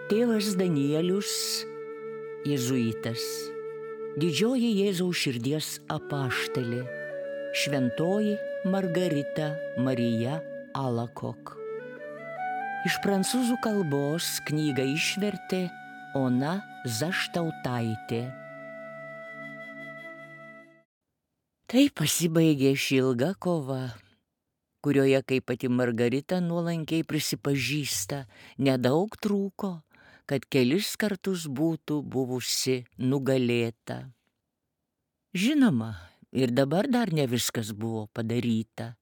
Tėvas Danielius, jėzuitas, didžioji Jėzaus širdies apaštalė, šventoji Margarita Marija Alakok. Iš prancūzų kalbos knygą išvertė Ona Zaštautaitė. Tai pasibaigė ši ilga kova, kurioje, kaip pati Margarita nuolankiai prisipažįsta, nedaug trūko, kad kelis kartus būtų buvusi nugalėta. Žinoma, ir dabar dar ne viskas buvo padaryta,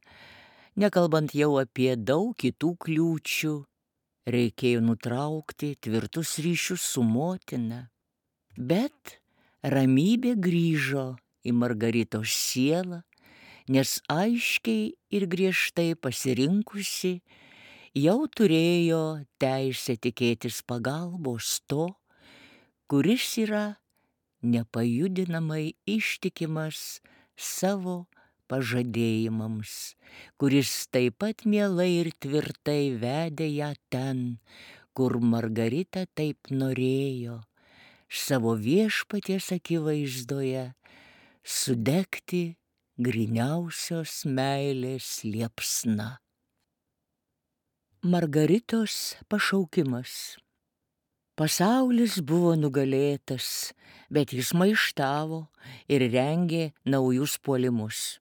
nekalbant jau apie daug kitų kliūčių, reikėjo nutraukti tvirtus ryšius su motina, bet ramybė grįžo į Margaritos sielą, nes aiškiai ir griežtai pasirinkusi jau turėjo teisę tikėtis pagalbos to, kuris yra nepajudinamai ištikimas savo pažadėjimams, kuris taip pat mielai ir tvirtai vedė ją ten, kur Margarita taip norėjo, savo viešpaties akivaizdoje sudegti gryniausios meilės liepsna. Margaritos pašaukimas. Pasaulis buvo nugalėtas, bet jis maištavo ir rengė naujus puolimus.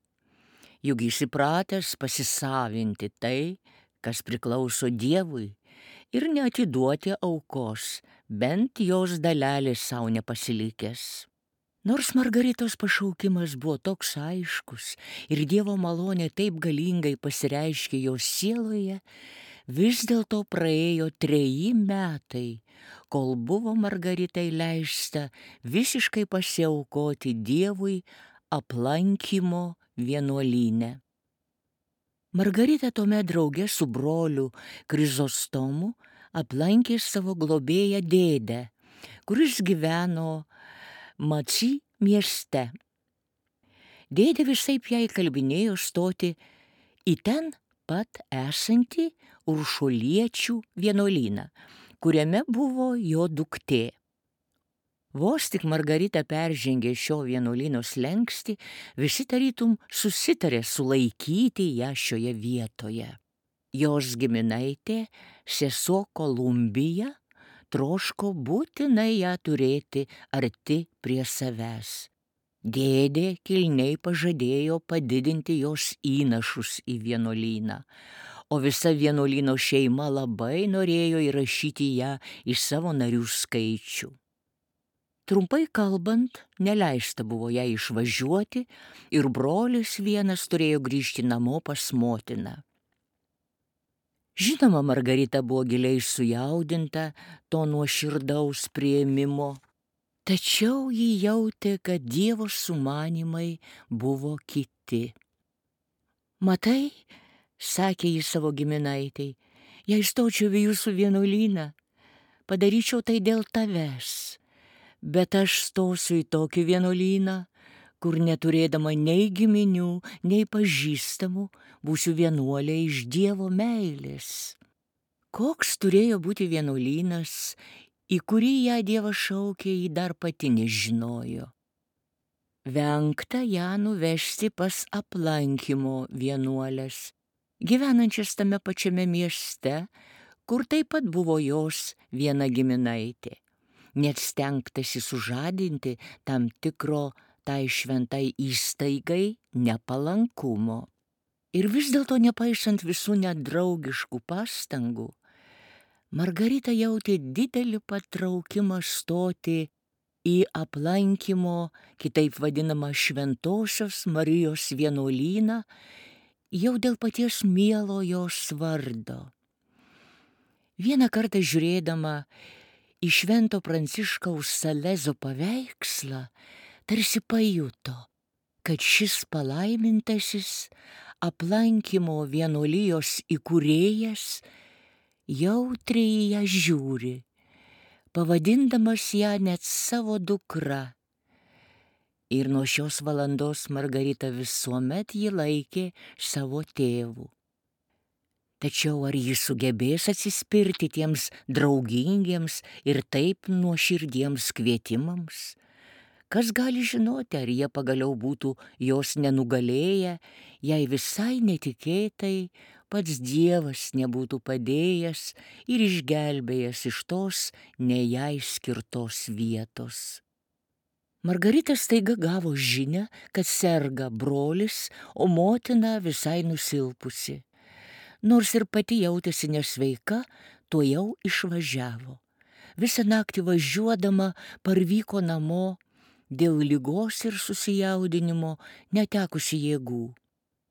Juk jis įpratęs pasisavinti tai, kas priklauso Dievui, ir neatiduoti aukos, bent jos dalelės savo nepasilikęs. Nors Margaritos pašaukimas buvo toks aiškus ir Dievo malonė taip galingai pasireiškė jos sieloje, vis dėlto praėjo 3 metai, kol buvo Margaritai leista visiškai pasiaukoti Dievui aplankymo vienuolyne. Margarita tuomet drauge su broliu Krizostomu aplankė savo globėją dėdę, kuris gyveno Maci mieste. Dėdė visaip jai kalbinėjo stoti į ten pat esantį Uršuliečių vienuolyną, kuriame buvo jo duktė. Vos tik Margarita peržengė šio vienuolyno slenkstį, visi tarytum susitarė sulaikyti ją šioje vietoje. Jos giminaitė, sesuo Kolumbija, troško būtinai ją turėti arti prie savęs. Dėdė kilniai pažadėjo padidinti jos įnašus į vienuolyną, o visa vienuolyno šeima labai norėjo įrašyti ją į savo narių skaičių. Trumpai kalbant, neleista buvo jai išvažiuoti ir brolis vienas turėjo grįžti namo pas motiną. Žinoma, Margarita buvo giliai sujaudinta to nuoširdaus priėmimo, tačiau ji jautė, kad Dievo sumanymai buvo kiti. Matai, sakė ji savo giminaitei, jei stočiau į jūsų vienuolyną, padaryčiau tai dėl tavęs, bet aš stosiu į tokį vienuolyną, kur neturėdama nei giminių, nei pažįstamų, būsiu vienuolė iš Dievo meilės. Koks turėjo būti vienuolynas, į kurį ją Dievas šaukė, ji dar pati nežinojo. Vengta ją nuvežti pas aplankymo vienuolės, gyvenančias tame pačiame mieste, kur taip pat buvo jos viena giminaitė. Net stengtasi sužadinti tam tikro tai šventai įstaigai nepalankumo. Ir vis dėlto, nepaisant visų nedraugiškų pastangų, Margarita jautė didelį patraukimą stoti į aplankymo, kitaip vadinamą Šventosios Marijos vienuolyną, jau dėl paties mielo jos vardo. Vieną kartą žiūrėdama į Švento Pranciškaus Salezo paveikslą, tarsi pajuto, kad šis palaimintasis aplankymo vienuolijos įkūrėjas jautriai į ją žiūri, pavadindamas ją net savo dukra. Ir nuo šios valandos Margarita visuomet jį laikė savo tėvu. Tačiau ar ji sugebės atsispirti tiems draugingiems ir taip nuoširdiems kvietimams? Kas gali žinoti, ar jie pagaliau būtų jos nenugalėję, jei visai netikėtai pats Dievas nebūtų padėjęs ir išgelbėjęs iš tos ne jai skirtos vietos. Margarita staiga gavo žinią, kad serga brolis, o motina visai nusilpusi. Nors ir pati jautėsi nesveika, tuojau išvažiavo. Visą naktį važiuodama parvyko namo, dėl ligos ir susijaudinimo netekusi jėgų.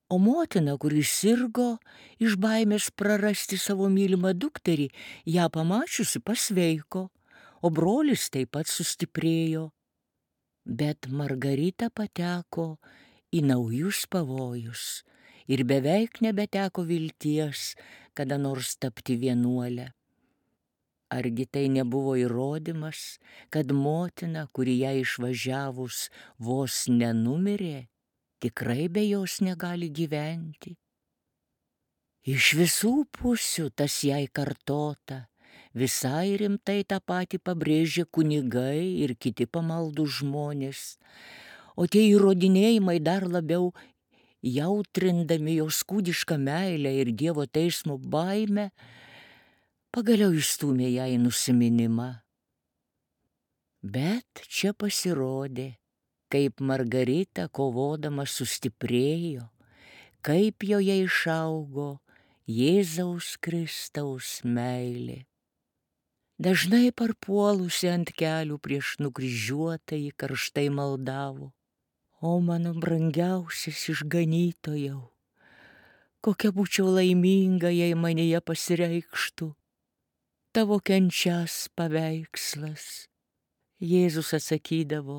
O motina, kuris sirgo, iš baimės prarasti savo mylimą dukterį, ją pamačiusi pasveiko, o brolis taip pat sustiprėjo. Bet Margarita pateko į naujus pavojus ir beveik nebeteko vilties kada nors tapti vienuolę. Argi tai nebuvo įrodymas, kad motina, kuri ją išvažiavus vos nenumirė, tikrai be jos negali gyventi? Iš visų pusių tas jai kartota, visai rimtai tą patį pabrėžė kunigai ir kiti pamaldų žmonės, o tie įrodinėjimai dar labiau jautrindami jos kūdišką meilę ir Dievo teismo baimę, pagaliau įstūmė ją į nusiminimą. Bet čia pasirodė, kaip Margarita kovodama sustiprėjo, kaip joje išaugo Jėzaus Kristaus meilė. Dažnai parpuolusi ant kelių prieš nukryžiuotąjį karštai maldavo: O mano brangiausias išganytojau, kokia būčiau laiminga, jei manyje pasireikštų tavo kenčias paveikslas. Jėzus atsakydavo: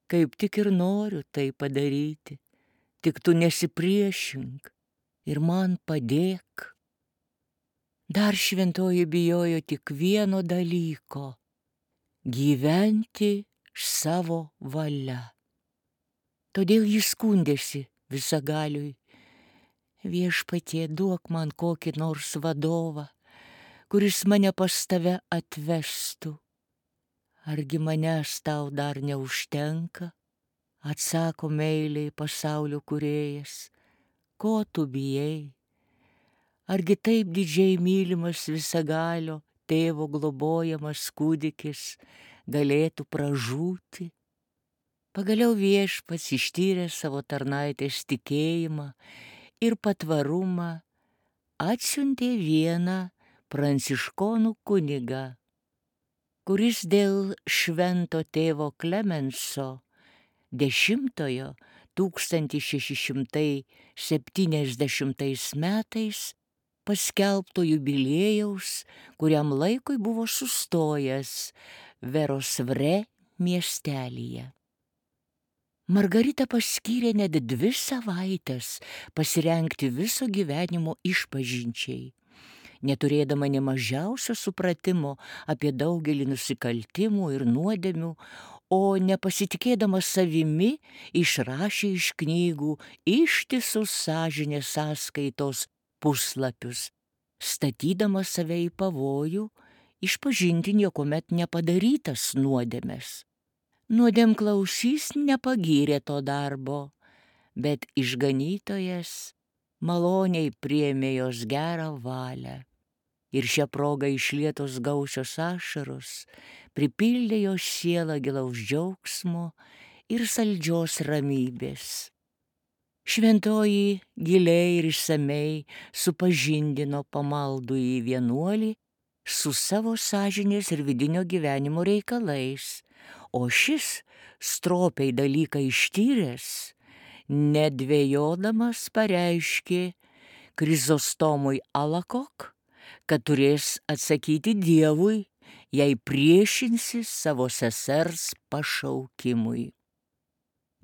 Kaip tik ir noriu tai padaryti, tik tu nesipriešink ir man padėk. Dar šventoji bijojo tik vieno dalyko - gyventi savo valia. Todėl jis skundėsi visagaliui: Viešpatie, duok man kokį nors vadovą, kuris mane pas tave atvestų. Argi manęs tau dar neužtenka? Atsako meiliai pasaulio kūrėjas: Ko tu bijai? Argi taip didžiai mylimas visagalio tėvo globojamas kūdikis galėtų pražūti? Pagaliau viešpats ištyrė savo tarnaitės tikėjimą ir patvarumą, atsiuntė vieną pranciškonų kunigą, kuris dėl švento tėvo Klemenso 1670 metais paskelbto jubiliejaus, kuriam laikui buvo sustojęs Verosvre miestelyje. Margarita paskyrė net 2 savaites pasirengti viso gyvenimo išpažinčiai. Neturėdama nė mažiausio supratimo apie daugelį nusikaltimų ir nuodėmių, o nepasitikėdama savimi, išrašė iš knygų ištisus sąžinės sąskaitos puslapius, statydama save į pavojų išpažinti niekuomet nepadarytas nuodėmes. Nuodėmklausys nepagyrė to darbo, bet išganytojas maloniai priėmė jos gerą valią. Ir šią progą išlietos gausios ašaros pripildė jos sielą gilaus džiaugsmo ir saldžios ramybės. Šventoji giliai ir išsamei supažindino pamaldųjį vienuolį su savo sąžinės ir vidinio gyvenimo reikalais, o šis, stropiai dalyką ištyręs, nedvejodamas pareiškė Krizostomui Alakok, kad turės atsakyti Dievui, jei priešinsis savo sesers pašaukimui.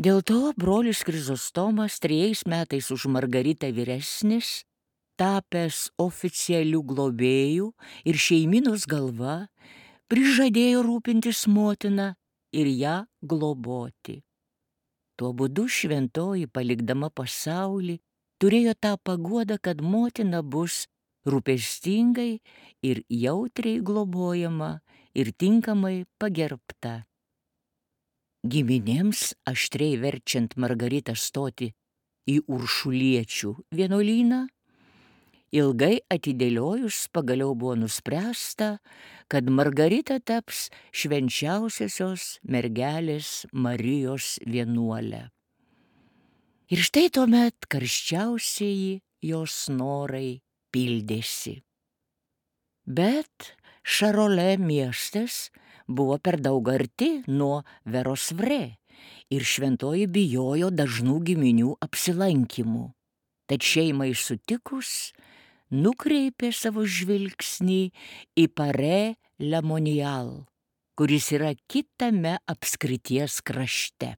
Dėl to brolis Krizostomas 3 metais už Margaritą vyresnis, tapęs oficialiu globėju ir šeiminos galva, prižadėjo rūpintis motina ir ją globoti. Tuo būdu šventoji, palikdama pasaulį, turėjo tą paguodą, kad motina bus rūpestingai ir jautriai globojama ir tinkamai pagerbta. Giminėms aštriai verčiant Margaritą stoti į Uršuliečių vienuolyną, ilgai atidėliojus pagaliau buvo nuspręsta, kad Margarita taps švenčiausiosios mergelės Marijos vienuolė. Ir štai tuomet karščiausieji jos norai pildėsi. Bet Šarolė miestas buvo per daug arti nuo Verosvre ir šventoji bijojo dažnų giminių apsilankymų. Tad šeimai sutikus, nukreipė savo žvilgsnį į Parė Lemonial, kuris yra kitame apskrities krašte.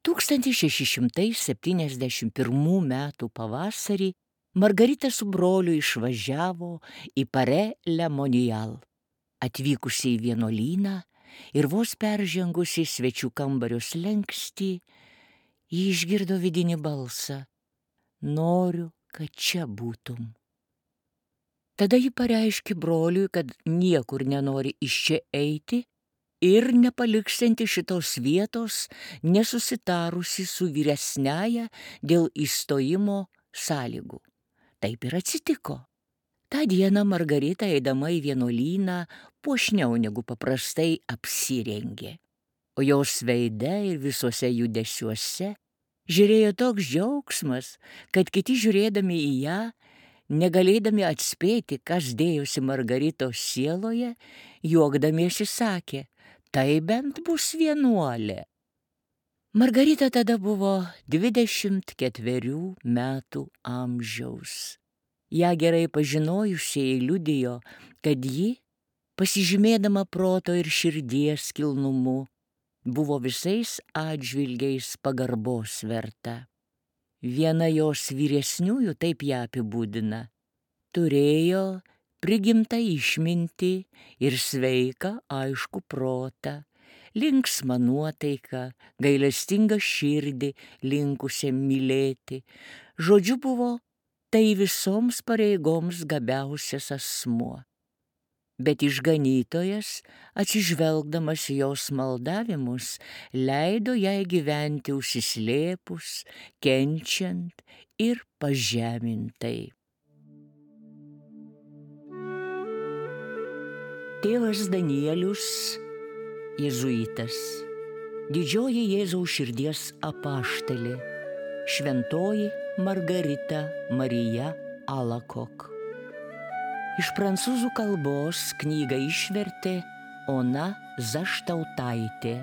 1671 metų pavasarį Margarita su broliu išvažiavo į Parė Lemonial. Atvykusi į vienuolyną ir vos peržengusi svečių kambario slenkstį, ji išgirdo vidinį balsą: noriu, kad čia būtum. Tada ji pareiškė broliui, kad niekur nenori iš čia eiti ir nepaliksianti šitos vietos, nesusitarusi su vyresniaja dėl įstojimo sąlygų. Taip ir atsitiko. Ta diena Margarita, eidama į vienuolyną, puošniau negu paprastai apsirengė, o jos veide ir visuose judesiuose žiūrėjo toks džiaugsmas, kad kiti žiūrėdami į ją, negalėdami atspėti, kas dėjosi Margaritos sieloje, juokdamiesi sakė: tai bent bus vienuolė. Margarita tada buvo 24 metų amžiaus. Ja gerai pažinojusieji liudijo, kad ji, pasižymėdama proto ir širdies kilnumu, buvo visais atžvilgiais pagarbos verta. Viena jos vyresniųjų taip ją apibūdina: turėjo prigimtą išmintį ir sveiką aiškų protą, linksmą nuotaiką, gailestingą širdį linkusią mylėti. Žodžiu, buvo tai visoms pareigoms gabiausias asmuo. Bet išganytojas, atsižvelgdamas į jos maldavimus, leido jai gyventi užsislėpus, kenčiant ir pažemintai. Tėvas Danielius, jėzuitas, didžioji Jėzaus širdies apaštalė, šventoji Margarita Marija Alakok. Iš prancūzų kalbos knygą išvertė Ona Zaštautaitė.